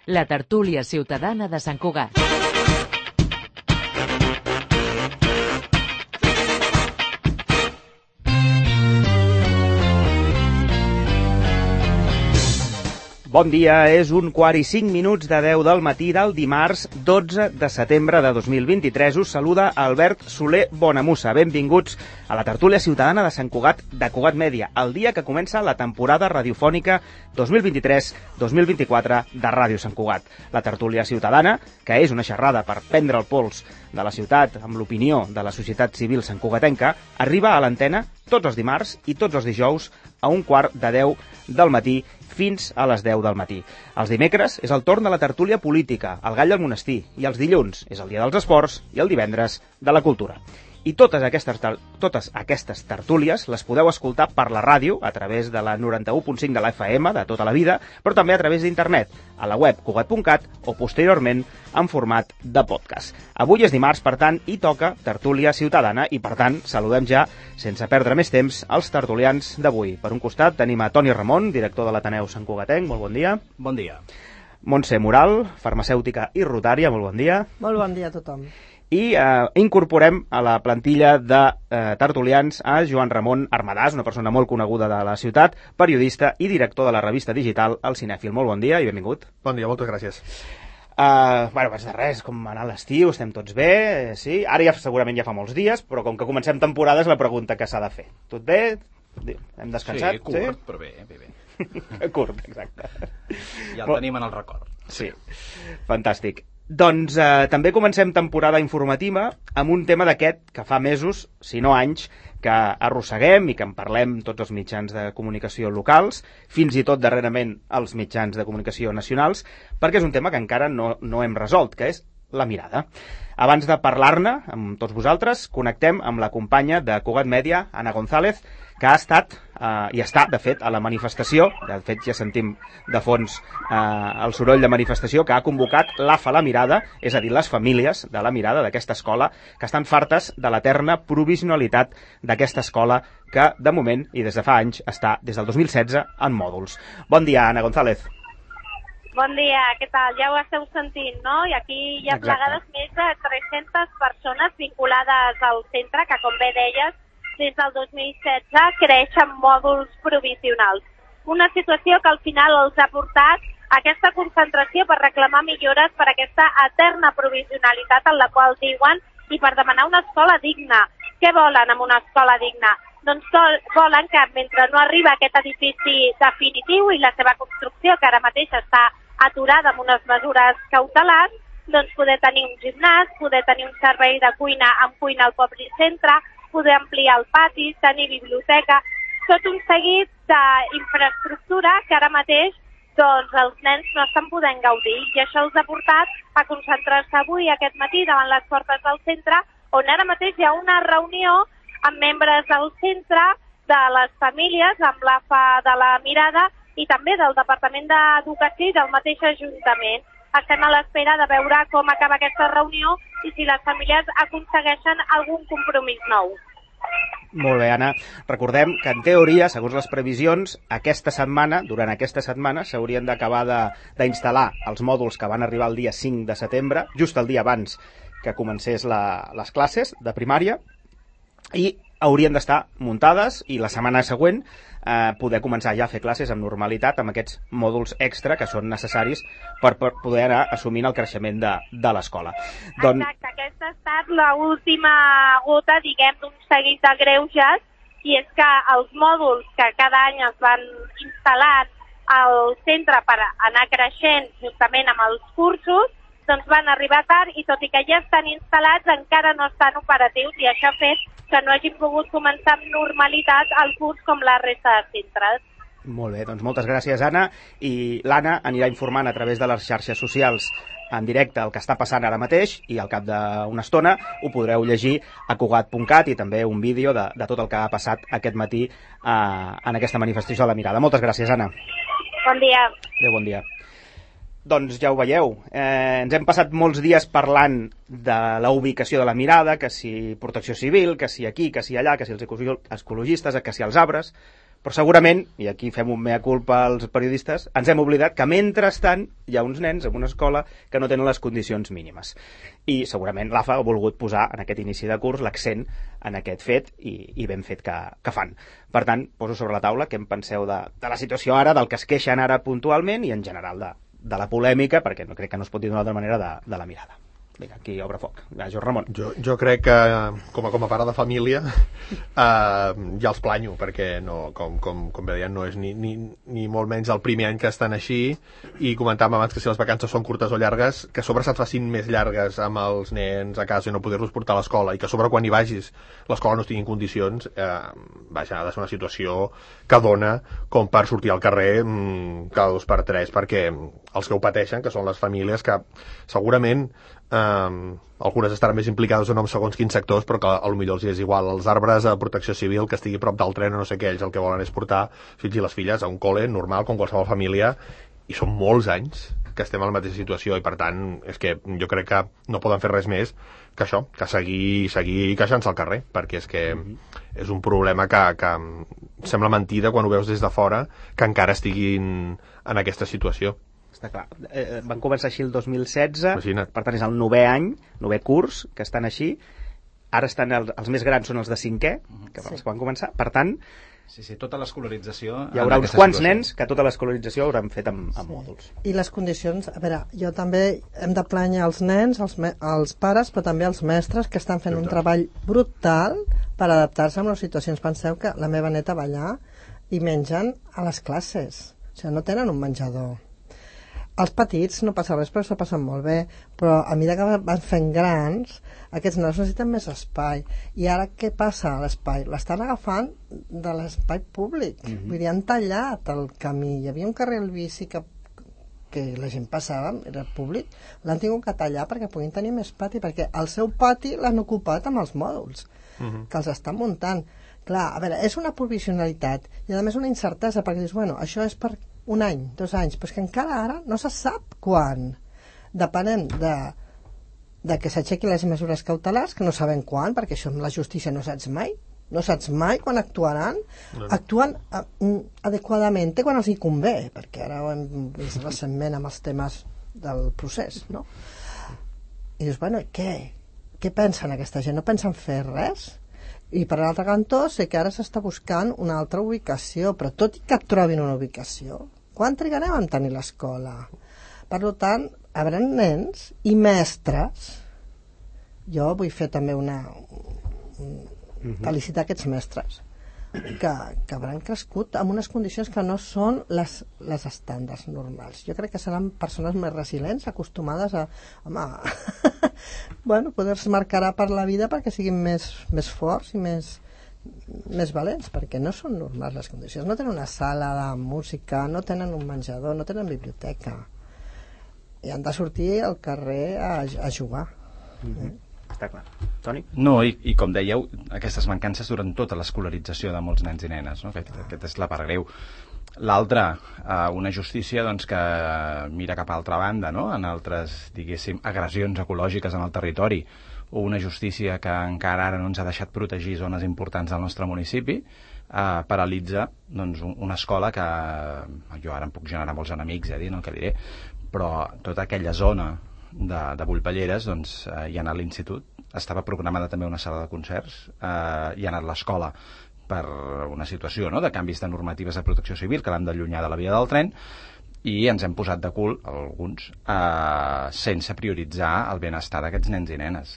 La tertúlia ciutadana de Sant Cugat. Bon dia, és 1:45 de 10 del matí del dimarts 12 de setembre de 2023. Us saluda Albert Soler Bonamussa. Benvinguts a la tertúlia ciutadana de Sant Cugat, de Cugat Mèdia, el dia que comença la temporada radiofònica 2023-2024 de Ràdio Sant Cugat. La tertúlia ciutadana, que és una xerrada per prendre el pols de la ciutat amb l'opinió de la societat civil santcugatenca, arriba a l'antena tots els dimarts i tots els dijous a 1:45 del matí fins a les 10 del matí. Els dimecres és el torn de la tertúlia política, el Gall del Monestir, i els dilluns és el dia dels esports i el divendres de la cultura. I totes aquestes tertúlies les podeu escoltar per la ràdio a través de la 91.5 de la FM de tota la vida, però també a través d'internet, a la web cugat.cat o posteriorment en format de podcast. Avui és dimarts, per tant, i toca tertúlia ciutadana i, per tant, saludem ja, sense perdre més temps, els tertulians d'avui. Per un costat tenim a Toni Ramon, director de l'Ateneu Sant Cugatenc. Molt bon dia. Bon dia. Montse Moral, farmacèutica i rotària. Molt bon dia. Molt bon dia a tothom. I incorporem a la plantilla de tertulians a Joan Ramon Armadàs, una persona molt coneguda de la ciutat, periodista i director de la revista digital El Cinèfil. Molt bon dia i benvingut. Bon dia, moltes gràcies. Abans de res, com anar a l'estiu, estem tots bé, sí? Ara ja segurament ja fa molts dies, però com que comencem temporada és la pregunta que s'ha de fer. Tot bé? Hem descansat? Sí, curt, però bé. Curt, exacte. Ja el tenim en el record. Sí, fantàstic. Doncs també comencem temporada informativa amb un tema d'aquest que fa mesos, si no anys, que arrosseguem i que en parlem tots els mitjans de comunicació locals, fins i tot darrerament els mitjans de comunicació nacionals, perquè és un tema que encara no hem resolt, que és la mirada. Abans de parlar-ne amb tots vosaltres, connectem amb la companya de Cugat Mèdia, Anna González, que ha estat i està, de fet, a la manifestació, de fet ja sentim de fons el soroll de manifestació, que ha convocat l'AFA La Mirada, és a dir, les famílies de La Mirada, d'aquesta escola, que estan fartes de l'eterna provisionalitat d'aquesta escola que, de moment, i des de fa anys, està des del 2016 en mòduls. Bon dia, Anna González. Bon dia, què tal? Ja ho esteu sentint, no? I aquí hi ha plegades més de 300 persones vinculades al centre, que, com bé deies, des del 2016 creixen mòduls provisionals. Una situació que al final els ha portat a aquesta concentració per reclamar millores per aquesta eterna provisionalitat en la qual diuen i per demanar una escola digna. Què volen amb una escola digna? Doncs volen que mentre no arriba aquest edifici definitiu i la seva construcció, que ara mateix està aturada amb unes mesures cautelars, doncs poder tenir un gimnàs, poder tenir un servei de cuina amb cuina al poble centre, poder ampliar el pati, tenir biblioteca, tot un seguit d'infraestructura que ara mateix doncs, els nens no estan podent gaudir, i això els ha portat a concentrar-se avui, aquest matí, davant les portes del centre, on ara mateix hi ha una reunió amb membres del centre, de les famílies, amb l'AFA de La Mirada i també del Departament d'Educació i del mateix Ajuntament. Estem a l'espera de veure com acaba aquesta reunió i si les famílies aconsegueixen algun compromís nou. Molt bé, Anna. Recordem que, en teoria, segons les previsions, durant aquesta setmana, s'haurien d'acabar d'instal·lar els mòduls que van arribar el dia 5 de setembre, just el dia abans que comencés les classes de primària, i haurien d'estar muntades i la setmana següent poder començar ja a fer classes amb normalitat amb aquests mòduls extra que són necessaris per poder anar assumint el creixement de l'escola. Exacte, aquesta ha estat l'última gota, diguem, d'un seguit de greuges, i és que els mòduls que cada any es van instal·lar al centre per anar creixent justament amb els cursos, doncs van arribar tard i tot i que ja estan instal·lats encara no estan operatius, i això ha fet que no hagin pogut començar amb normalitat el curs com la resta de centres. Molt bé, doncs moltes gràcies, Anna. I l'Anna anirà informant a través de les xarxes socials en directe el que està passant ara mateix, i al cap d'una estona ho podreu llegir a cugat.cat i també un vídeo de tot el que ha passat aquest matí en aquesta manifestació a La Mirada. Moltes gràcies, Anna. Bon dia. Adéu, bon dia. Doncs ja ho veieu, ens hem passat molts dies parlant de la ubicació de La Mirada, que si protecció civil, que si aquí, que si allà, que si els ecologistes, que si els arbres, Però segurament, i aquí fem un mea culpa als periodistes, ens hem oblidat que mentrestant hi ha uns nens en una escola que no tenen les condicions mínimes. I segurament l'AFA ha volgut posar en aquest inici de curs l'accent en aquest fet i ben fet que fan. Per tant, poso sobre la taula què en penseu de la situació ara, del que es queixen ara puntualment i en general de la polèmica, perquè no crec que no es pot dir d'una altra manera de la mirada. Vinga, aquí obre foc. Joan Ramon. Jo crec que, com a pare de família, ja els planyo, perquè no, com bé deien, no és ni molt menys el primer any que estan així, i comentàvem abans que si les vacances són curtes o llargues, que a sobre se't facin més llargues amb els nens a casa i no poder-los portar a l'escola, i que a sobre quan hi vagis l'escola no estigui en condicions, vaja, ha de ser una situació que dona com per sortir al carrer cada 2 per 3, perquè els que ho pateixen, que són les famílies que segurament algunes estaran més implicades o no en segons quins sectors, però que potser els és igual. Els arbres a protecció civil, que estigui a prop del tren o no sé què, ells el que volen és portar fills i les filles a un col·le normal, com qualsevol família, i són molts anys que estem a la mateixa situació, i per tant és que jo crec que no poden fer res més que això, que seguir queixant-se al carrer, perquè és que és un problema que sembla mentida quan ho veus des de fora, que encara estiguin en aquesta situació. Està clar. Van començar així el 2016, Imagina't. per tant és el 9è any, 9è curs, que estan així. Ara estan els més grans són els de 5è, que els que van començar. Per tant, Sí, tota l'escolarització... hi haurà uns quants nens que tota l'escolarització hauran fet amb mòduls. I les condicions... A veure, jo també hem de planyar els nens, els pares, però també els mestres, que estan fent un treball brutal per adaptar-se a les situacions. Penseu que la meva neta va allà i mengen a les classes. O sigui, no tenen un menjador. Els petits no passa res, però s'ho passen molt bé, però a mesura que van fent grans, aquests nanos necessiten més espai. I ara què passa a l'espai? L'estan agafant de l'espai públic. Vull dir, han tallat el camí. Hi havia un carril bici que la gent passava, era públic, l'han tingut que tallar perquè puguin tenir més pati, perquè el seu pati l'han ocupat amb els mòduls que els estan muntant. Clar, a veure, és una provisionalitat i a més una incertesa, perquè dius, bueno, això és per 1 any, 2 anys, però és que encara ara no se sap quan. Depenent de que s'aixequin les mesures cautelars, que no sabem quan, perquè això amb la justícia no saps mai quan actuaran. Actuen adequadament quan els hi convé, perquè ara ho hem vist recentment amb els temes del procés, no? I dius, bueno, què pensen aquesta gent? No pensen fer res? I per l'altre cantó sé que ara s'està buscant una altra ubicació, però tot i que trobin una ubicació, quan trigarem a tenir l'escola? Per tant, hi haurà nens i mestres. Jo vull fer també felicitar aquests mestres que hauran crescut en unes condicions que no són les estàndards normals. Jo crec que seran persones més resilients, acostumades a bueno, poder-se marcar per la vida perquè siguin més forts i més valents, perquè no són normals les condicions. No tenen una sala de música, no tenen un menjador, no tenen biblioteca, i han de sortir al carrer a jugar. Està clar. Toni? No, i com dèieu, aquestes mancances durant tota l'escolarització de molts nens i nenes, no? Aquest és la part greu. L'altra, una justícia doncs, que mira cap a altra banda, no? En altres, diguéssim, agressions ecològiques en el territori, o una justícia que encara ara no ens ha deixat protegir zones importants del nostre municipi, paralitza doncs, una escola que jo ara em puc generar molts enemics, dient el que diré, però tota aquella zona de Bullpelleres, doncs, hi ha anat l'institut, estava programada també una sala de concerts, hi ha anat l'escola per una situació, no?, de canvis de normatives de protecció civil que l'han d'allunyar de la via del tren, i ens hem posat de cul, alguns, sense prioritzar el benestar d'aquests nens i nenes.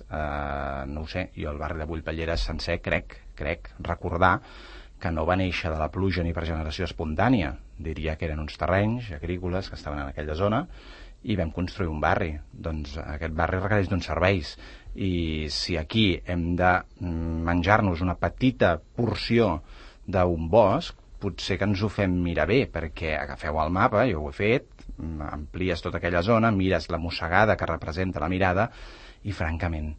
No ho sé, jo el barri de Bullpelleres sencer crec recordar que no va néixer de la pluja ni per generació espontània, diria que eren uns terrenys agrícoles que estaven en aquella zona, i vam construir un barri. Doncs aquest barri requereix d'uns serveis, i si aquí hem de menjar-nos una petita porció d'un bosc, potser que ens ho fem mirar bé, perquè agafeu el mapa, jo ho he fet, amplies tota aquella zona, mires la mossegada que representa la mirada, i francament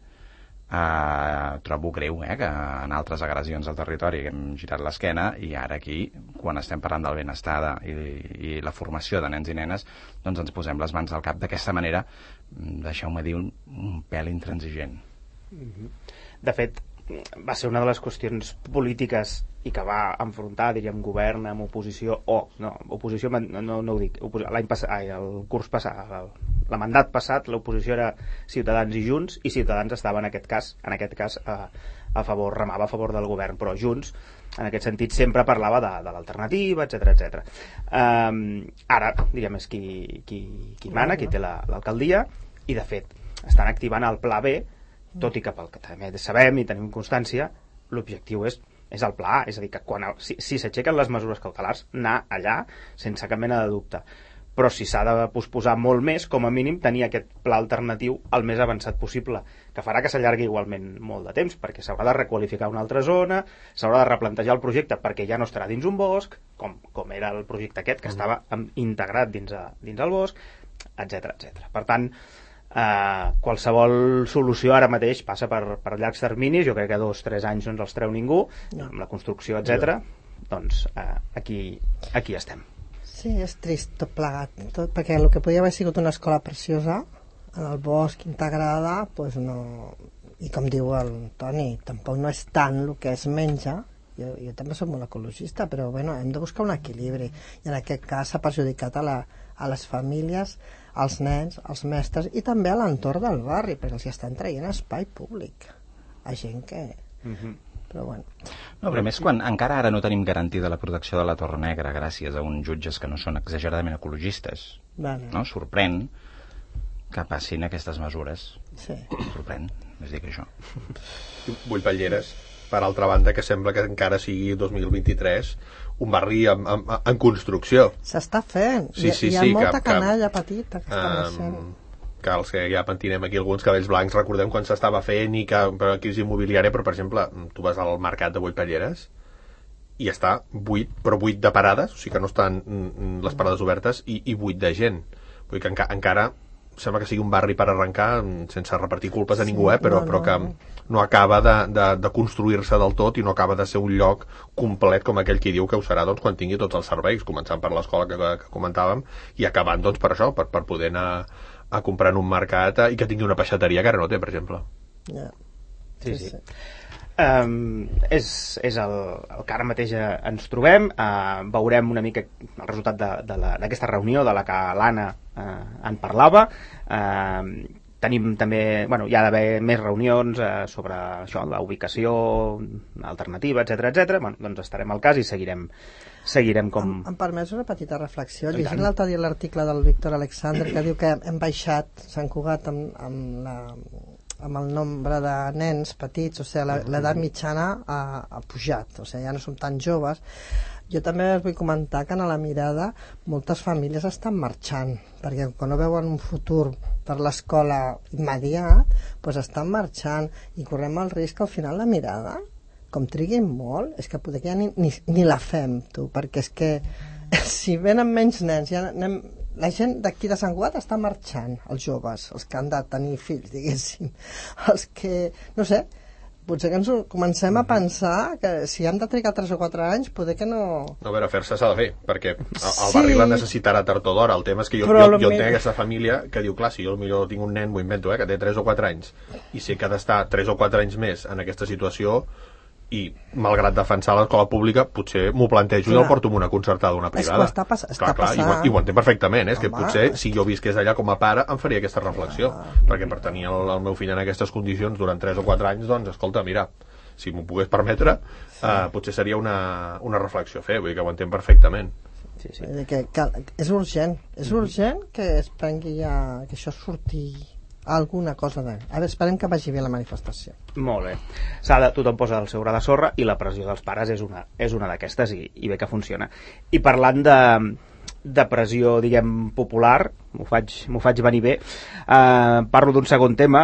trobo greu que en altres agressions al territori hem girat l'esquena, i ara aquí, quan estem parlant del benestar i la formació de nens i nenes, doncs ens posem les mans al cap d'aquesta manera, deixeu-me dir, un pèl intransigent. De fet, va ser una de les qüestions polítiques i que va enfrontar, diríem, govern amb oposició, oposició no ho dic, l'any passat, el curs passat, el mandat passat, l'oposició era Ciutadans i Junts, i Ciutadans estava en aquest cas a favor, remava a favor del govern, però Junts en aquest sentit sempre parlava de l'alternativa, etc. Ara, diguem, és qui mana, qui té l'alcaldia, i de fet estan activant el Pla B, tot i que pel que també sabem i tenim constància, l'objectiu és el Pla A, és a dir, que si s'aixequen les mesures cautelars, anar allà sense cap mena de dubte. Però si s'ha de posposar molt més, com a mínim tenir aquest pla alternatiu el més avançat possible, que farà que s'allargui igualment molt de temps, perquè s'haurà de requalificar una altra zona, s'haurà de replantejar el projecte perquè ja no estarà dins un bosc, com era el projecte aquest, que estava integrat dins el bosc, etc. Per tant, qualsevol solució ara mateix passa per llargs terminis. Jo crec que 2-3 anys no ens els treu ningú, amb la construcció, etc. Doncs aquí estem. Sí, és trist tot plegat, perquè el que podia haver sigut una escola preciosa en el bosc, integrada, doncs no, i com diu el Toni, tampoc no és tant el que es menja. Jo també soc molt ecologista, però bueno, hem de buscar un equilibri, i en aquest cas s'ha perjudicat a les famílies, als nens, als mestres i també a l'entorn del barri, perquè els estan traient espai públic a gent que... Però bueno. No, però més quan encara ara no tenim garantida la protecció de la Torre Negra gràcies a uns jutges que no són exageradament ecologistes. Vale. No? Sorprèn que passin aquestes mesures. Sí. Sorprèn, és dir que això. Vullpelleres, per altra banda, que sembla que encara sigui 2023 un barri en construcció. S'està fent. Sí, hi ha molta canalla petita que està naixent. Que els que ja pentinem aquí alguns cabells blancs recordem quan s'estava fent i que per la crisi immobiliària, però per exemple tu vas al mercat de Vullpelleres i està buit, però buit de parades, o sigui que no estan les parades obertes, i buit de gent. Vull dir que encara sembla que sigui un barri per arrencar, sense repartir culpes a ningú, però que no acaba de construir-se del tot i no acaba de ser un lloc complet com aquell qui diu que ho serà quan tingui tots els serveis, començant per l'escola que comentàvem i acabant per això, per poder anar a comprar en un mercat i que tingui una peixateria que ara no té, per exemple. Sí. És el que ara mateix ens trobem. Veurem una mica el resultat d'aquesta reunió de la que l'Anna en parlava. Tenim també, hi ha d'haver més reunions sobre això, la ubicació alternativa, etc. Doncs estarem al cas i seguirem com... Em permets una petita reflexió. Llegint l'altre dia l'article del Víctor Alexander que diu que hem baixat Sant Cugat amb el nombre de nens petits, o sigui, l'edat mitjana ha pujat, o sigui, ja no som tan joves. Jo també us vull comentar que a la mirada moltes famílies estan marxant, perquè quan no veuen un futur per l'escola immediat, doncs estan marxant i correm el risc que al final la mirada, com triguin molt, és que poder que ja ni la fem, tu, perquè és que si venen menys nens, ja la gent d'aquí de Sant Cugat està marxant, els joves, els que han de tenir fills, diguéssim, els que, no sé, potser que ens comencem a pensar que si han de trigar 3 o 4 anys, poder que no... No, a veure, fer-se s'ha de fer, perquè el barri la necessitarà tard o d'hora. El tema és que jo entenc aquesta família que diu, clar, si jo potser tinc un nen, m'ho invento, que té 3 o 4 anys, i sé que ha d'estar 3 o 4 anys més en aquesta situació, i malgrat defensar l'escola pública potser m'ho plantejo i el porto amb una concertada o una privada. És que està passant. I ho entenc perfectament, és que potser si jo visqués allà com a pare em faria aquesta reflexió, perquè per tenir el meu fill en aquestes condicions durant 3 o 4 anys, doncs escolta, mira, si m'ho pogués permetre, potser seria una reflexió a fer, vull dir que ho entenc perfectament. Sí. Que és urgent que es prengui ja, que això surti alguna cosa de... A veure, esperem que vagi bé la manifestació. Molt bé. Tothom posa el seu gra de sorra i la pressió dels pares és una d'aquestes i bé que funciona. I parlant de pressió, diguem, popular, m'ho faig venir bé, parlo d'un segon tema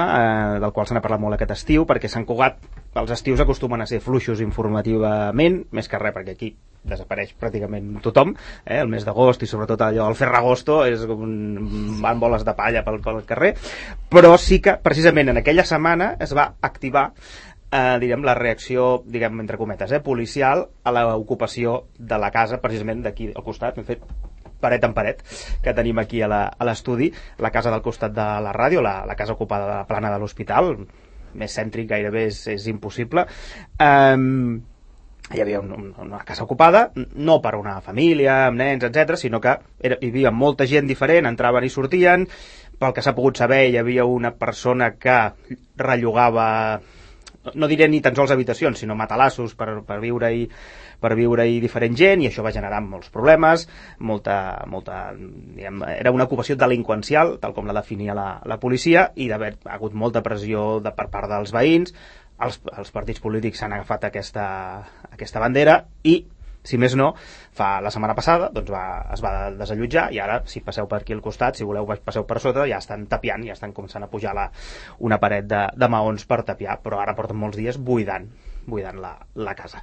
del qual se n'ha parlat molt aquest estiu, perquè Sant Cugat els estius acostumen a ser fluixos informativament, més que res perquè aquí desapareix pràcticament tothom, el mes d'agost i sobretot allò del Ferragosto és com van boles de palla pel carrer, però sí que precisament en aquella setmana es va activar direm, la reacció, diguem, entre cometes, policial a l'ocupació de la casa precisament d'aquí al costat. Hem fet paret en paret que tenim aquí a l'estudi, la casa del costat de la ràdio, la casa ocupada de la plana de l'hospital, més cèntric gairebé és impossible. Hi havia una casa ocupada, no per una família, amb nens, etc, sinó que hi havia molta gent diferent, entraven i sortien. Pel que s'ha pogut saber, hi havia una persona que rellogava, no diré ni tan sols habitacions, sinó matalassos per viure-hi diferent gent, i això va generar molts problemes, diguem, era una ocupació delinqüencial, tal com la definia la policia, i d'haver hagut molta pressió per part dels veïns. Els partits polítics s'han agafat aquesta bandera i, si més no, la setmana passada es va desallotjar, i ara, si passeu per aquí al costat, si voleu passeu per sota, ja estan tapiant, ja estan començant a pujar una paret de maons per tapiar, però ara porten molts dies buidant la casa.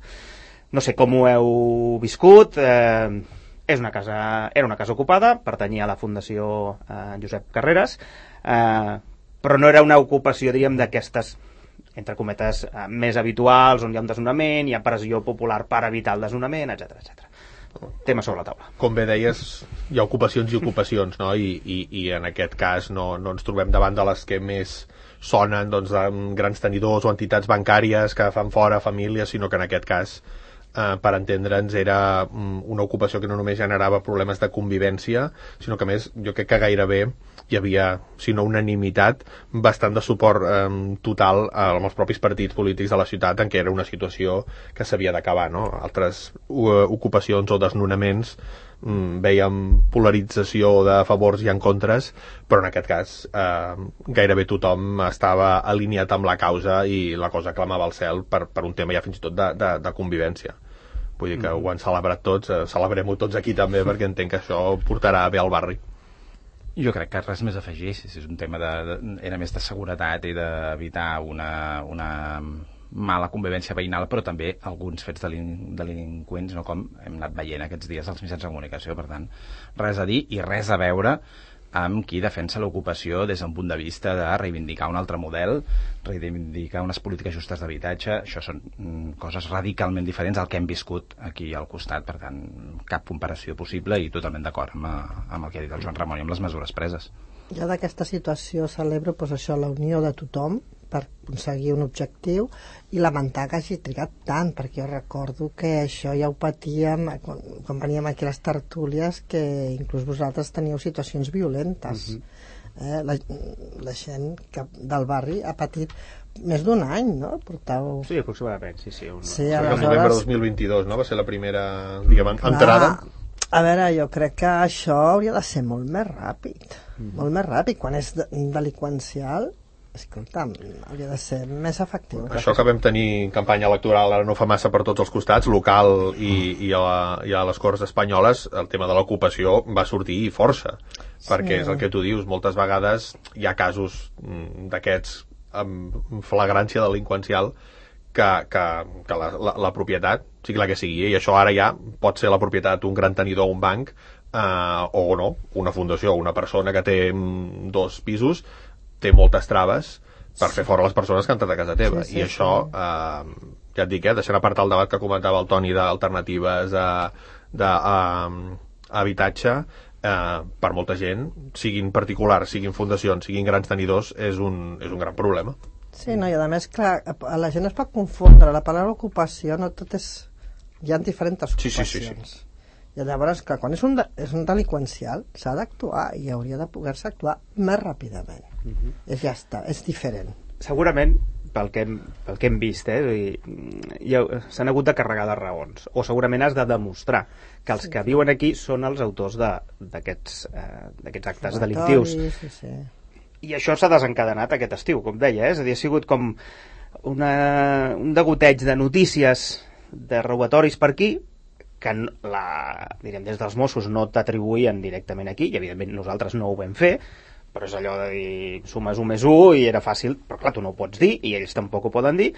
No sé com ho heu viscut. Era una casa ocupada, pertanyia a la Fundació Josep Carreras, però no era una ocupació, diríem, d'aquestes, entre cometes, més habituals, on hi ha un desnonament, hi ha pressió popular per evitar el desnonament, etc. Tema sobre la taula. Com bé deies, hi ha ocupacions i ocupacions, no? I en aquest cas no ens trobem davant de les que més sonen, doncs, de grans tenidors o entitats bancàries que fan fora famílies, sinó que en aquest cas, per entendre'ns, era una ocupació que no només generava problemes de convivència, sinó que, a més, jo crec que gairebé hi havia, si no unanimitat, bastant de suport total amb els propis partits polítics de la ciutat, en què era una situació que s'havia d'acabar, no? Altres ocupacions o desnonaments veiem polarització de favors i en contres, però en aquest cas gairebé tothom estava alineat amb la causa i la cosa clamava al cel per un tema ja fins i tot de convivència. Vull dir que ho han celebrat tots, celebrem-ho tots aquí també, perquè entenc que això portarà bé al barri. Jo crec que res més a afegir, si és un tema era més de seguretat i d'evitar una mala convivència veïnal, però també alguns fets delinqüents, no, com hem anat veient aquests dies als mitjans de comunicació. Per tant, res a dir i res a veure amb qui defensa l'ocupació des d'un punt de vista de reivindicar un altre model, reivindicar unes polítiques justes d'habitatge. Això són coses radicalment diferents al que hem viscut aquí al costat. Per tant, cap comparació possible i totalment d'acord amb el que ha dit el Joan Ramon i amb les mesures preses. Jo d'aquesta situació celebro això, la unió de tothom per aconseguir un objectiu, i lamentar que hagi trigat tant, perquè jo recordo que això ja ho patíem quan veníem aquí a les tertúlies, que inclús vosaltres teníeu situacions violentes. La gent del barri ha patit més d'un any, no? Portàveu... Sí, aproximadament, sí. Sí, el novembre de 2022, no? Va ser la primera, diguem, entrada. A veure, jo crec que això hauria de ser molt més ràpid. Molt més ràpid. Quan és delinqüencial, escolta'm, hauria de ser més efectiu. Això que vam tenir campanya electoral ara no fa massa per tots els costats, local i a les Corts Espanyoles, el tema de l'ocupació va sortir força, perquè és el que tu dius, moltes vegades hi ha casos d'aquests amb flagrància delinqüencial que la propietat, sigui la que sigui, i això ara ja pot ser la propietat d'un gran tenidor o un banc, o no, una fundació o una persona que té 2 pisos, té moltes traves per fer fora les persones que han entrat a casa teva. I això, ja et dic, deixant a part el debat que comentava el Toni d'alternatives d'habitatge, per molta gent, siguin particulars, siguin fundacions, siguin grans tenidors, és un gran problema. Sí, no, i a més, clar, la gent es pot confondre, la paraula ocupació no tot és... Hi ha diferents ocupacions. Sí. I llavors, clar, quan és un delinqüencial, s'ha d'actuar i hauria de poder-se actuar més ràpidament. Ja està, és diferent. Segurament, pel que hem vist, s'han hagut de carregar de raons, o segurament has de demostrar que els que viuen aquí són els autors d'aquests actes delictius. Sí. I això s'ha desencadenat aquest estiu, com deia, és a dir, ha sigut com un degoteig de notícies de robatoris per aquí, que diríem, des dels Mossos no t'atribuïen directament aquí, i evidentment nosaltres no ho vam fer, però és allò de dir sumes 1 més 1 i era fàcil, però clar, tu no ho pots dir i ells tampoc ho poden dir,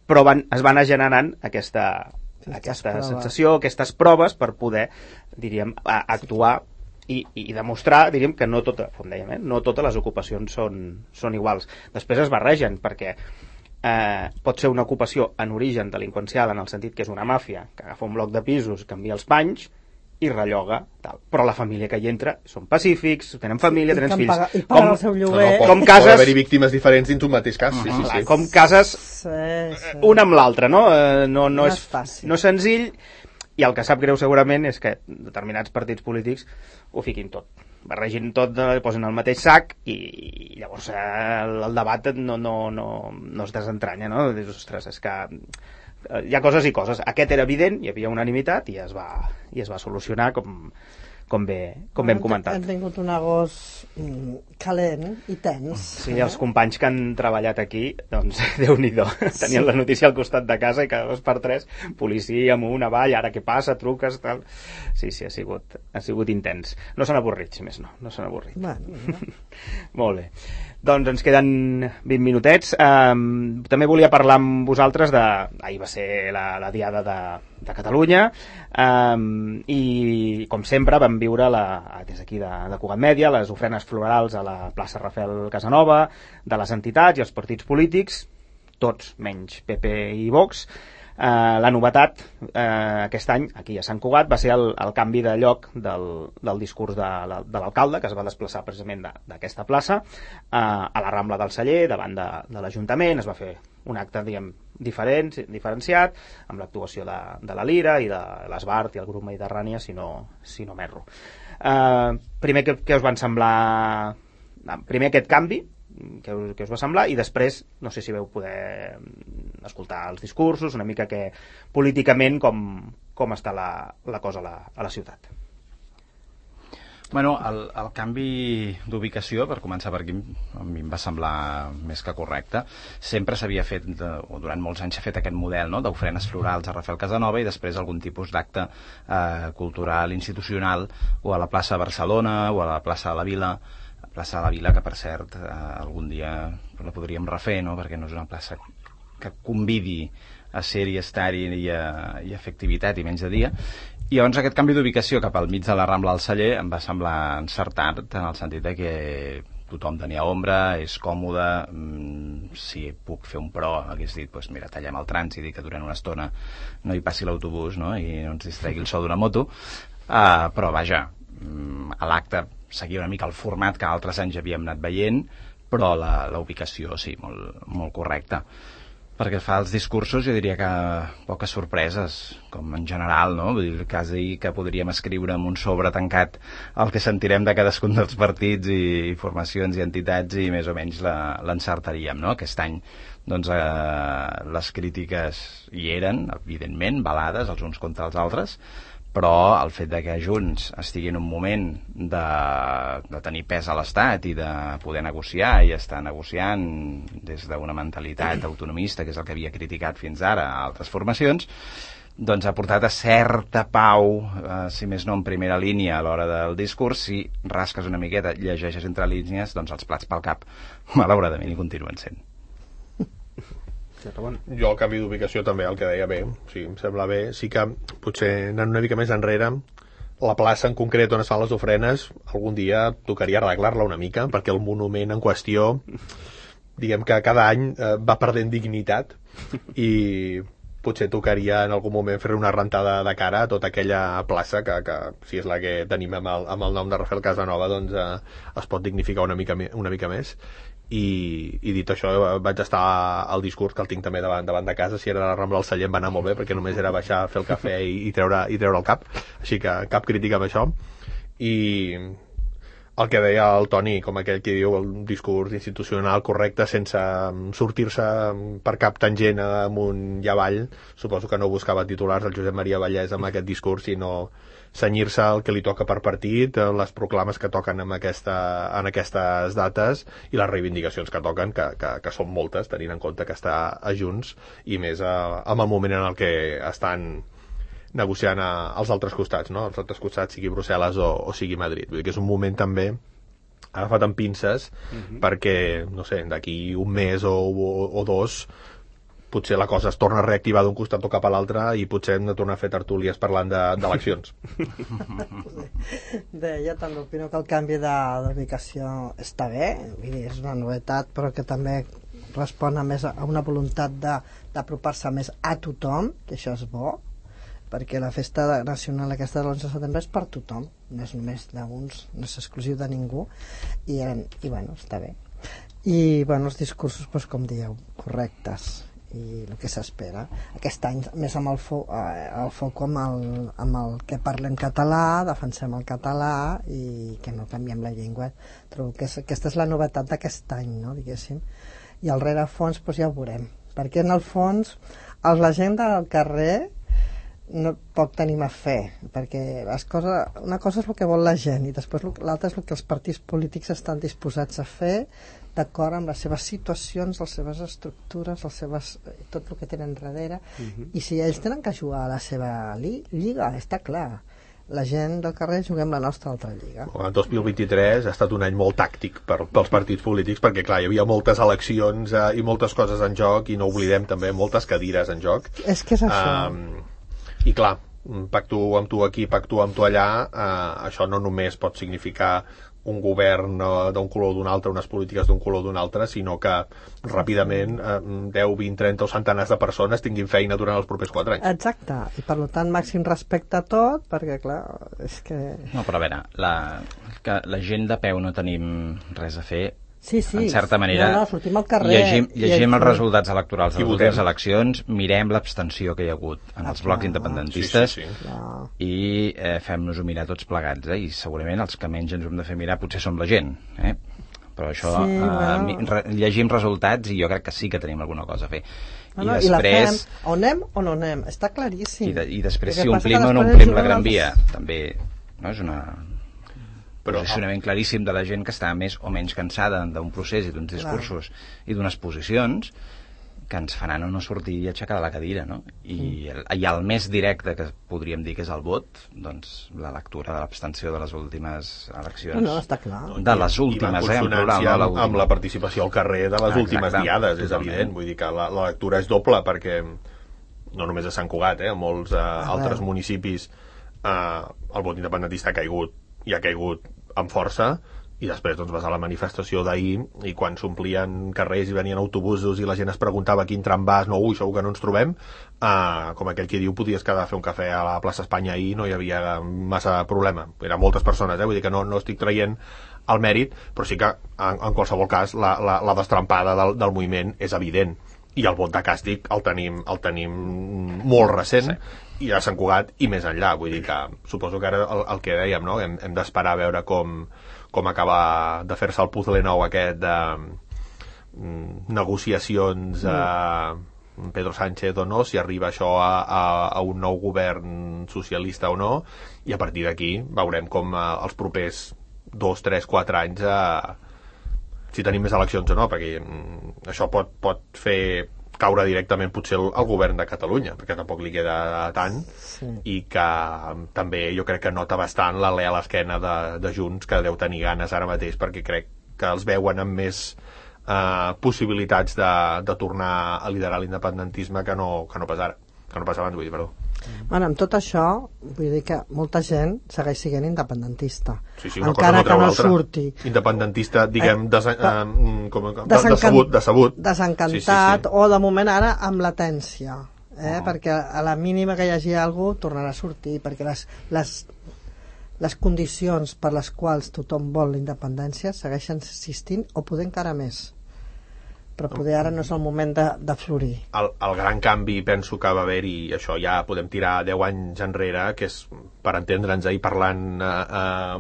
però es van anar generant aquesta sensació, aquestes proves per poder, diríem, actuar i demostrar, diríem, que no com dèiem, no totes les ocupacions són iguals. Després es barregen, perquè pot ser una ocupació en origen delinqüencial, en el sentit que és una màfia que agafa un bloc de pisos, canvia els panys i relloga, tal. Però la família que hi entra són pacífics, tenen família, tenen fills. I paguen el seu lloguer. Com cases... Pot haver-hi víctimes diferents dins un mateix cas. Sí. Com cases una amb l'altra, no? No és fàcil. No és senzill, i el que sap greu segurament és que determinats partits polítics ho fiquin tot. Barregin tot, posen el mateix sac i llavors el debat no es desentranya, no? Dius, ostres, és que hi ha coses i coses. Aquest era evident, hi havia unanimitat i es va solucionar com bé hem comentat. Hem tingut un agost calent i tens. Sí, els companys que han treballat aquí, doncs, Déu-n'hi-do. Tenien la notícia al costat de casa i cada 2 per 3, policia amunt, avall, ara què passa, truques, tal... Sí, ha sigut intens. No s'han avorrit, si més no s'han avorrit. Bueno. Molt bé. Doncs ens queden 20 minutets. També volia parlar amb vosaltres de... Ahir va ser la Diada de Catalunya i, com sempre, vam viure des d'aquí de Cugat Mèdia les ofrenes florals a la plaça Rafael Casanova de les entitats i els partits polítics, tots menys PP i Vox. La novetat aquest any aquí a Sant Cugat va ser el canvi de lloc del discurs de l'alcalde, que es va desplaçar precisament d'aquesta plaça a la Rambla del Celler, davant de l'Ajuntament. Es va fer un acte, diguem, diferenciat, amb l'actuació de la Lira i de l'Esbart i el grup Mediterrània, si no m'erro. Primer, què us van semblar? Primer aquest canvi, què us va semblar, i després no sé si veu poder escoltar els discursos, una mica que políticament com està la cosa a la ciutat. Bueno, el canvi d'ubicació, per començar per aquí, a mi em va semblar més que correcte. Sempre s'havia fet, o durant molts anys s'ha fet aquest model, no?, d'ofrenes florals a Rafael Casanova i després algun tipus d'acte cultural institucional, o a la plaça Barcelona o a la plaça de la Vila, que per cert algun dia la podríem refer, no?, perquè no és una plaça que convidi a ser-hi, estar-hi i a fer activitat i menys de dia. I llavors aquest canvi d'ubicació cap al mig de la Rambla del Celler em va semblar encertat, en el sentit de que tothom tenia ombra, és còmode, si puc fer un pro hagués dit, doncs mira, tallem el trànsit i que durant una estona no hi passi l'autobús, no?, i no ens distregui el so d'una moto, però vaja, a l'acte seguia una mica el format que altres anys havíem anat veient, però la ubicació sí, molt correcta. Perquè fa els discursos jo diria que poques sorpreses, com en general, no? Vull dir, quasi que podríem escriure en un sobre tancat el que sentirem de cadascun dels partits i formacions i entitats i més o menys l'encertaríem, no? Aquest any doncs, les crítiques hi eren, evidentment, balades els uns contra els altres, però el fet de que Junts estigui en un moment de tenir pes a l'Estat i de poder negociar i estar negociant des d'una mentalitat autonomista, que és el que havia criticat fins ara a altres formacions, doncs ha portat a certa pau, si més no en primera línia a l'hora del discurs. Si rasques una miqueta, llegeixes entre línies, doncs els plats pel cap, malauradament, hi continuen sent. Jo el canvi d'ubicació també, el que deia bé, sí, em sembla bé. Sí que potser anant una mica més enrere, la plaça en concret on es fan les ofrenes algun dia tocaria arreglar-la una mica, perquè el monument en qüestió, diguem que cada any va perdent dignitat i potser tocaria en algun moment fer una rentada de cara a tota aquella plaça que si és la que tenim amb el nom de Rafael Casanova, doncs es pot dignificar una mica més. I dit això, vaig estar al discurs, que el tinc també davant de casa. Si era la Rambla del Celler em va anar molt bé, perquè només era baixar a fer el cafè i treure el cap, així que cap crítica amb això. I el que deia el Toni, com aquell que diu, el discurs institucional correcte, sense sortir-se per cap tangent amunt i avall. Suposo que no buscava titulars el Josep Maria Vallès amb aquest discurs, sinó cenyir-se el que li toca per partit, les proclames que toquen en aquestes dates i les reivindicacions que toquen, que són moltes, tenint en compte que està a Junts, i més en el moment en el que estan negociant als altres costats, no? Als altres costats, sigui Brussel·les o sigui Madrid. Vull dir que és un moment també agafat amb pinces, perquè, no sé, d'aquí un mes o dos potser la cosa es torna a reactivar d'un costat o cap a l'altre i potser hem de tornar a fer tertúlies parlant d'eleccions. Jo també opino que el canvi d'ubicació està bé, vull dir, és una novetat, però que també respon a una voluntat d'apropar-se més a tothom, que això és bo. perquè la festa nacional aquesta de l'11 de setembre és per tothom, no és només d'uns, no és exclusiu de ningú, i bueno, està bé. I bueno, els discursos, doncs, com dieu, correctes, i el que s'espera. Aquest any, més amb el foc amb el que parlem català, defensem el català i que no canviem la llengua. Trobo que aquesta és la novetat d'aquest any, no, diguéssim. I al rerefons, doncs, ja ho veurem, perquè en el fons la gent del carrer no poc tenim a fer, perquè una cosa és el que vol la gent i després l'altra és el que els partits polítics estan disposats a fer d'acord amb les seves situacions, les seves estructures, tot el que tenen darrere. I si ells tenen que jugar a la seva lliga, està clar, la gent del carrer juguem la nostra altra lliga. El 2023 ha estat un any molt tàctic pels partits polítics, perquè clar, hi havia moltes eleccions i moltes coses en joc, i no oblidem també moltes cadires en joc. És que és això. I clar, pacto amb tu aquí, pacto amb tu allà, això no només pot significar un govern d'un color o d'un altre, unes polítiques d'un color o d'un altre, sinó que ràpidament 10, 20, 30 o centenars de persones tinguin feina durant els propers 4 anys. Exacte, i per tant màxim respecte a tot, perquè clar, és que... No, però a veure, que la gent de peu no tenim res a fer. Sí, en certa manera, sortim al carrer, llegim els resultats electorals de les últimes eleccions, mirem l'abstenció que hi ha hagut en els blocs independentistes i fem-nos-ho mirar tots plegats, i segurament els que menys ens hem de fer mirar potser som la gent, però això, llegim resultats i jo crec que sí que tenim alguna cosa a fer. I després... O anem o no anem, està claríssim. I després si omplim o no omplim la Gran Via, també és un posicionament claríssim de la gent que està més o menys cansada d'un procés i d'uns discursos i d'unes posicions que ens faran o no sortir i aixecar de la cadira, no? I el més directe que podríem dir que és el vot, doncs la lectura de l'abstenció de les últimes eleccions. No, està clar. De les últimes, en plural, amb la participació al carrer de les últimes diades, és evident. Vull dir que la lectura és doble, perquè no només a Sant Cugat, a molts altres municipis el vot independentista ha caigut amb força, i després doncs vas a la manifestació d'ahir i quan s'omplien carrers i venien autobusos i la gent es preguntava quin tram vas, segur que no ens trobem, com aquell que diu podies quedar a fer un cafè a la plaça Espanya ahir, no hi havia massa problema, eren moltes persones, vull dir que no estic traient el mèrit, però sí que en qualsevol cas la destrampada del moviment és evident, i el vot de càstig el tenim molt recent, i a Sant Cugat i més enllà, vull dir que suposo que ara el que dèiem, no? Hem d'esperar a veure com acaba de fer-se el puzzle nou aquest de negociacions Pedro Sánchez o no, si arriba això a un nou govern socialista o no, i a partir d'aquí veurem com els propers 2, 3, 4 anys si tenim més eleccions o no, perquè això pot fer caure directament potser el govern de Catalunya, perquè tampoc li queda tant, i que també jo crec que nota bastant l'alè a l'esquena de Junts, que deu tenir ganes ara mateix, perquè crec que els veuen amb més possibilitats de tornar a liderar l'independentisme que no pas ara, que no pas abans, vull dir, perdó. Bueno, amb tot això, vull dir que molta gent segueix sent independentista. Sí, encara que no surti. Independentista, diguem, decebut. Desencantat, o de moment ara amb latència. Perquè a la mínima que hi hagi alguna cosa tornarà a sortir, perquè les condicions per les quals tothom vol la independència segueixen existint o poder encara més. Però poder ara no és el moment de florir. El gran canvi penso que va haver-hi, això ja podem tirar 10 anys enrere, que és, per entendre'ns i parlant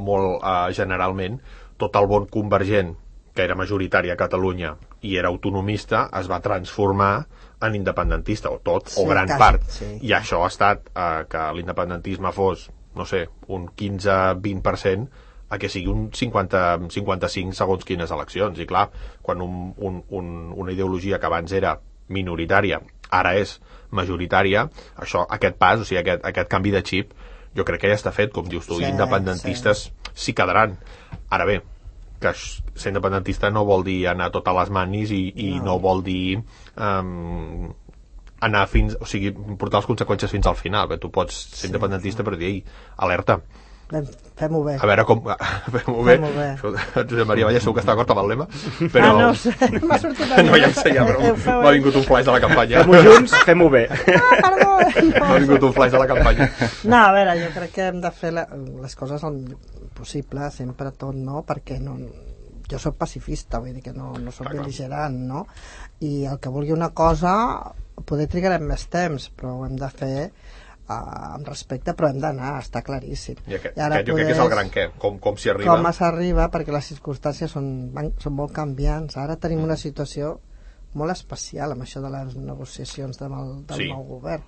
molt generalment, tot el vot convergent, que era majoritari a Catalunya i era autonomista, es va transformar en independentista, o tot, o gran part. I això ha estat que l'independentisme fos, no sé, un 15-20%, a que sigui un 50-55 segons quines eleccions. I clar, quan una ideologia que abans era minoritària ara és majoritària, aquest pas, o sigui, aquest canvi de xip, jo crec que ja està fet, com dius tu, independentistes s'hi quedaran. Ara bé, que ser independentista no vol dir anar tot a les manis i no vol dir portar les conseqüències fins al final, que tu pots ser independentista però dir, alerta, Fem-ho bé. A veure com... Fem-ho bé. Josep Maria Vallès segur que està d'acord amb el lema, però... no ho sé, m'ha sortit a mi. No, ja sé, però m'ha vingut un flash de la campanya. Fem-ho junts, fem-ho bé. Perdó. M'ha vingut un flash de la campanya. No, a veure, jo crec que hem de fer les coses el millor possible, sempre tot, no? Perquè no... Jo soc pacifista, vull dir que no soc bel·ligerant, no? I el que vulgui una cosa, poder trigarem més temps, però ho hem de fer amb respecte, però hem d'anar, està claríssim. I aquest jo crec que és el gran què, com s'hi arriba. Com s'arriba, perquè les circumstàncies són molt canviants. Ara tenim una situació molt especial amb això de les negociacions del nou govern.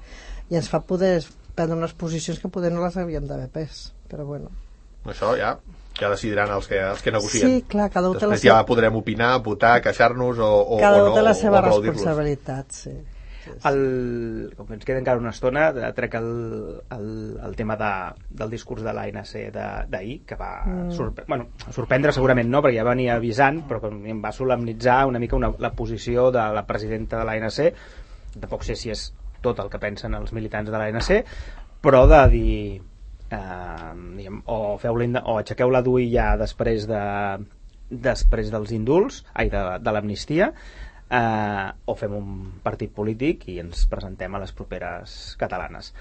I ens fa poder prendre unes posicions que poder no les havíem d'haver pres, però bueno. Això ja decidiran els que negocien. Sí, clar, cada un té la seva... ja podrem opinar, votar, queixar-nos o no. Cada un té la seva responsabilitat, sí. Com ens queda encara una estona, trec el tema del discurs de l'ANC d'ahir, que va sorprendre segurament no, perquè ja venia avisant, però que em va solemnitzar una mica la posició de la presidenta de l'ANC. Tampoc sé si és tot el que pensen els militants de l'ANC, però de dir o aixequeu la DUI ja després dels indults, de l'amnistia, o fem un partit polític i ens presentem a les properes catalanes.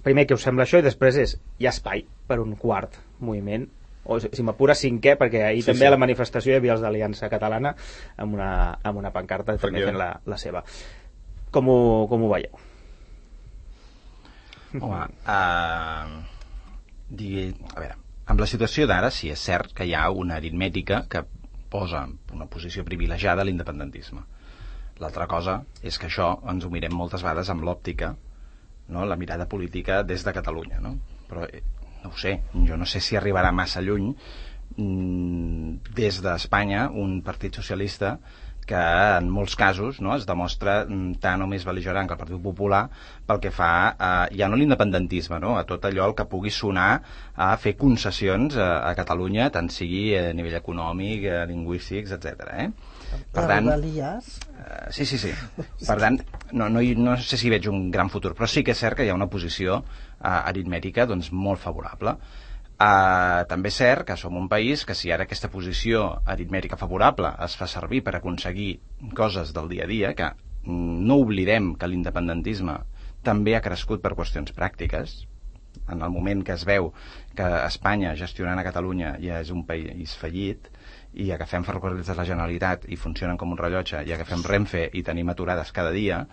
Primer, què us sembla això? I després hi ha espai per un quart moviment, o si m'apura cinquè, perquè ahir també a la manifestació hi havia els d'Aliança Catalana amb una pancarta també fent la seva. Com ho veieu? Home, a veure, amb la situació d'ara sí és cert que hi ha una aritmètica que posa una posició privilegiada a l'independentisme. L'altra cosa és que això ens ho mirem moltes vegades amb l'òptica, no? La mirada política des de Catalunya, no? Però no ho sé, jo no sé si arribarà massa lluny des d'Espanya un partit socialista que en molts casos es demostra tant o més bel·ligerant que el Partit Popular pel que fa ja no l'independentisme, a tot allò el que pugui sonar a fer concessions a Catalunya, tant sigui a nivell econòmic, lingüístics, etc. Per tant, sí. Per tant, no sé si veig un gran futur, però sí que és cert que hi ha una posició aritmètica molt favorable. També és cert que som un país que si ara aquesta posició aritmètica favorable es fa servir per aconseguir coses del dia a dia, que no oblidem que l'independentisme també ha crescut per qüestions pràctiques, en el moment que es veu que Espanya gestionant a Catalunya ja és un país fallit i agafem ferrocarrils de la Generalitat i funcionen com un rellotge, i agafem Renfe i tenim aturades cada dia,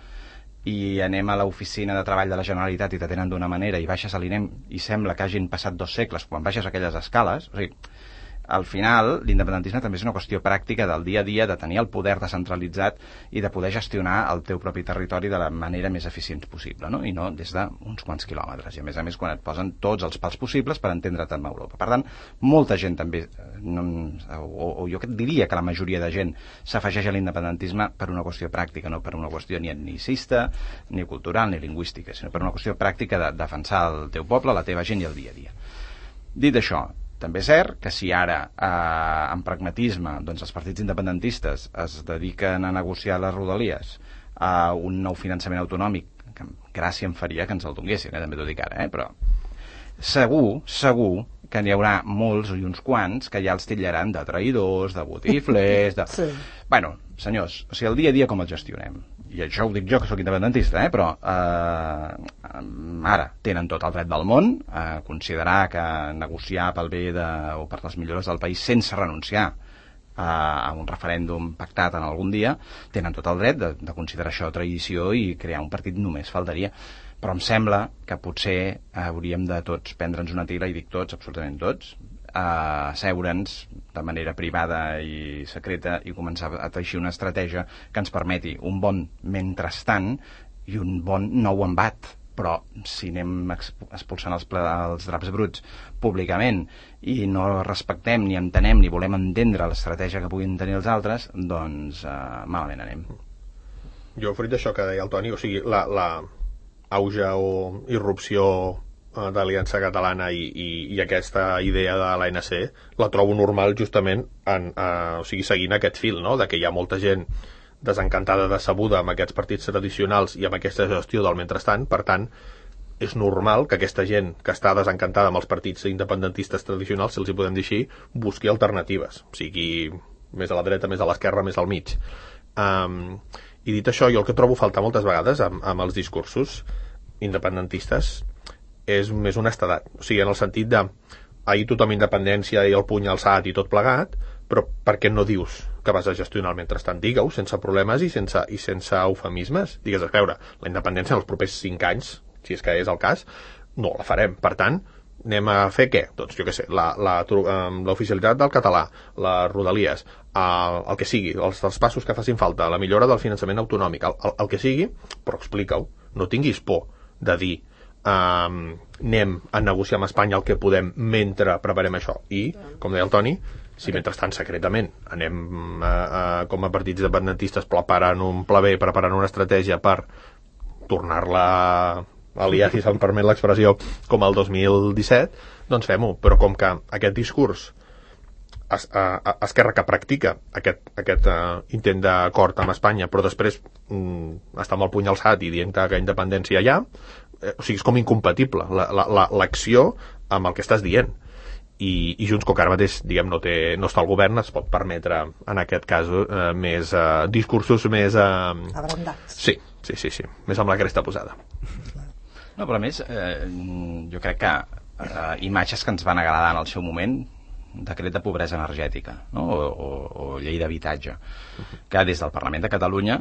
i anem a l'oficina de treball de la Generalitat i t'atenen d'una manera i baixes a l'INEM i sembla que hagin passat 2 segles quan baixes aquelles escales. O sigui, al final l'independentisme també és una qüestió pràctica del dia a dia, de tenir el poder descentralitzat i de poder gestionar el teu propi territori de la manera més eficient possible, no? I no des d'uns quants quilòmetres, i a més quan et posen tots els pals possibles per entendre't amb Europa. Per tant, molta gent també o jo diria que la majoria de gent s'afegeix a l'independentisme per una qüestió pràctica, no per una qüestió ni etnicista, ni cultural, ni lingüística, sinó per una qüestió pràctica de defensar el teu poble, la teva gent i el dia a dia. Dit això, també és cert que si ara, amb pragmatisme, els partits independentistes es dediquen a negociar les rodalies a un nou finançament autonòmic, que gràcia em faria que ens el donguessin, també t'ho dic ara, però segur que n'hi haurà molts i uns quants que ja els titllaran de traïdors, de botiflers, de... Sí. Bueno, senyors, o sigui, el dia a dia com el gestionem? I això ho dic jo, que sóc independentista, però ara tenen tot el dret del món a considerar que negociar pel bé o per les millores del país sense renunciar a un referèndum pactat en algun dia, tenen tot el dret de considerar això traïció i crear un partit, només faltaria. Però em sembla que potser hauríem de tots prendre'ns una tira, i dic tots, absolutament tots, asseure'ns de manera privada i secreta i començar a teixir una estratègia que ens permeti un bon mentrestant i un bon nou embat. Però si anem expulsant els draps bruts públicament i no respectem ni entenem ni volem entendre l'estratègia que puguin tenir els altres, doncs malament anem. Jo, fruit d'això que deia el Toni, o sigui, la auge o irrupció d'Aliança Catalana i aquesta idea de l'ANC la trobo normal justament o sigui, seguint aquest fil, no? De que hi ha molta gent desencantada, decebuda amb aquests partits tradicionals i amb aquesta gestió del mentrestant. Per tant, és normal que aquesta gent que està desencantada amb els partits independentistes tradicionals, si els hi podem dir així, busqui alternatives, sigui més a la dreta, més a l'esquerra, més al mig. I dit això, jo el que trobo faltar moltes vegades amb els discursos independentistes és més honestedat, o sigui, en el sentit de ahir tothom independència i el puny alçat i tot plegat, però per què no dius que vas a gestionar el mentrestant? Digue-ho sense problemes i sense eufemismes. Digues, a veure, la independència en els propers 5 anys, si és que és el cas, no la farem. Per tant, anem a fer què? Doncs jo què sé, l'oficialitat del català, les rodalies, el que sigui, els passos que facin falta, la millora del finançament autonòmic, el que sigui, però explica-ho. No tinguis por de dir anem a negociar amb Espanya el que podem mentre preparem això. I, com deia el Toni, si mentrestant secretament anem com a partits independentistes preparant un pla B, preparant una estratègia per tornar-la a liar, si se'm permet l'expressió, com el 2017, doncs fem-ho. Però com que aquest discurs Esquerra que practica aquest intent d'acord amb Espanya, però després està amb el puny alçat i dient que independència hi ha, o sigui, és com incompatible l'acció amb el que estàs dient. I Junts, com que ara mateix no està al govern, es pot permetre en aquest cas més discursos més abrandats. Sí, més amb la cresta posada. No, però a més jo crec que imatges que ens van agradar en el seu moment, decret de pobresa energètica, no? o llei d'habitatge, que des del Parlament de Catalunya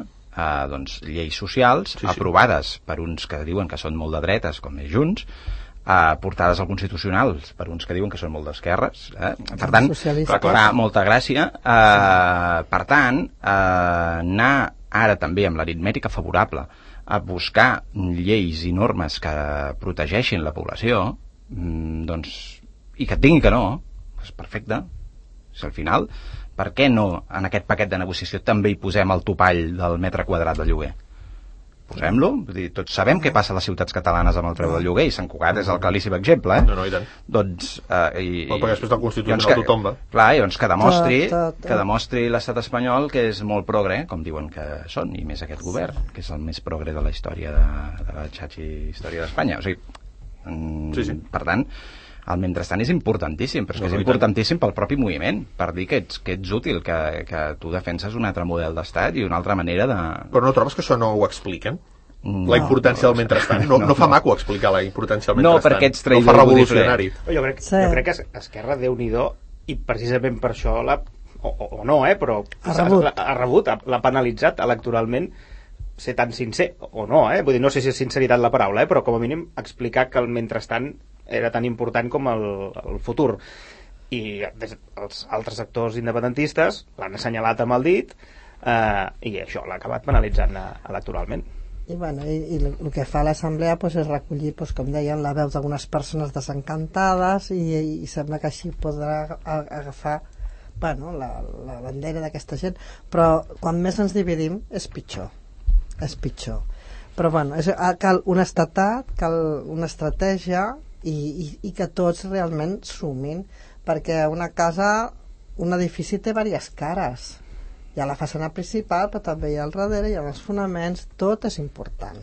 doncs, lleis socials aprovades per uns que diuen que són molt de dretes, com és Junts, portades al Constitucional per uns que diuen que són molt d'esquerres, per tant, fa molta gràcia. Per tant, anar ara també amb l'aritmètica favorable a buscar lleis i normes que protegeixin la població, doncs, i que et diguin que no, és perfecte. Si al final, per què no en aquest paquet de negociació també hi posem el topall del metre quadrat de lloguer? Posem-lo. Tots sabem què passa a les ciutats catalanes amb el preu del lloguer, i Sant Cugat és el claríssim exemple. No, i tant. Doncs... perquè després del Constitucional tothom va. Clar, i doncs que demostri l'estat espanyol que és molt progre, com diuen que són, i més aquest govern, que és el més progre de la història de la xatxa història d'Espanya. O sigui, per tant, el mentrestant és importantíssim, però és que és importantíssim pel propi moviment, per dir que ets útil, que tu defenses un altre model d'estat i una altra manera de... Però no trobes que això no ho expliquen? La importància del mentrestant? No fa maco explicar la importància del mentrestant. No, perquè ets traïdor. No fa revolucionari. Jo crec que Esquerra, Déu-n'hi-do, i precisament per això o no, però ha rebut, l'ha penalitzat electoralment ser tan sincer, o no, vull dir, no sé si és sinceritat la paraula, però com a mínim explicar que el mentrestant era tan important com el futur. I els altres actors independentistes l'han assenyalat amb el dit i això l'ha acabat penalitzant electoralment. I el que fa l'assemblea és recollir, com deien, la veu d'algunes persones desencantades i sembla que així podrà agafar la bandera d'aquesta gent, però quan més ens dividim és pitjor. Però cal honestedat, cal una estratègia i que tots realment sumin, perquè una casa, un edifici té diverses cares. Hi ha la façana principal, però també hi ha al darrere, hi ha els fonaments, tot és important.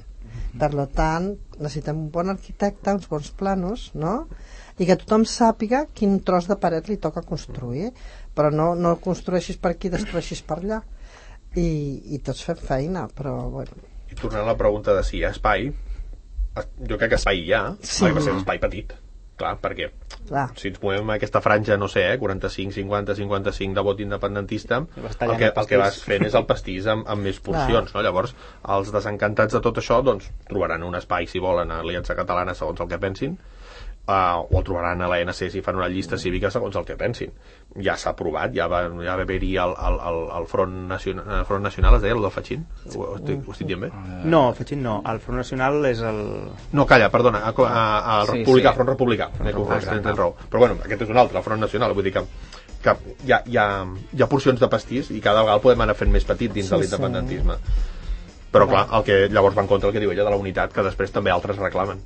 Per tant, necessitem un bon arquitecte, uns bons planos, no? I que tothom sàpiga quin tros de paret li toca construir, però no construeixis per aquí, destrueixis per allà. I tots fem feina, però I tornant a la pregunta de si hi ha espai, jo crec que espai hi ha, va ser un espai petit, clar, perquè si ens movem aquesta franja, no sé, 45, 50, 55 de vot independentista, el que vas fent és el pastís amb més porcions, no? Llavors els desencantats de tot això doncs trobaran un espai, si volen, a l'Aliança Catalana segons el que pensin, o el trobaran a l'ANC si fan una llista cívica segons el que pensin. Ja s'ha aprovat, ja va haver-hi el Front Nacional, es deia, el del Fatxín? Ho estic dient bé? No, el Fatxín no, el Front Nacional és el... No, calla, perdona, el Republicà, Front Republicà, però bueno, aquest és un altre, el Front Nacional, vull dir que hi ha porcions de pastís i cada vegada podem anar fent més petit dins de l'independentisme. Però clar, el que llavors va en contra el que diu ella de la unitat, que després també altres reclamen.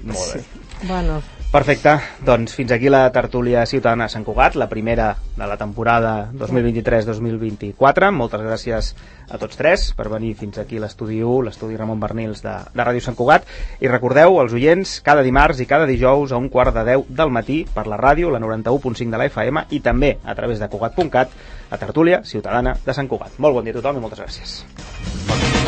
Molt bé. Bueno, Perfecte, doncs fins aquí la tertúlia ciutadana de Sant Cugat, la primera de la temporada 2023-2024. Moltes gràcies a tots tres per venir fins aquí a l'estudi 1, l'estudi Ramon Bernils de Ràdio Sant Cugat. I recordeu, els oients, cada dimarts i cada dijous a 9:15 del matí per la ràdio, la 91.5 de la FM i també a través de Cugat.cat, la tertúlia ciutadana de Sant Cugat. Molt bon dia a tothom i moltes gràcies.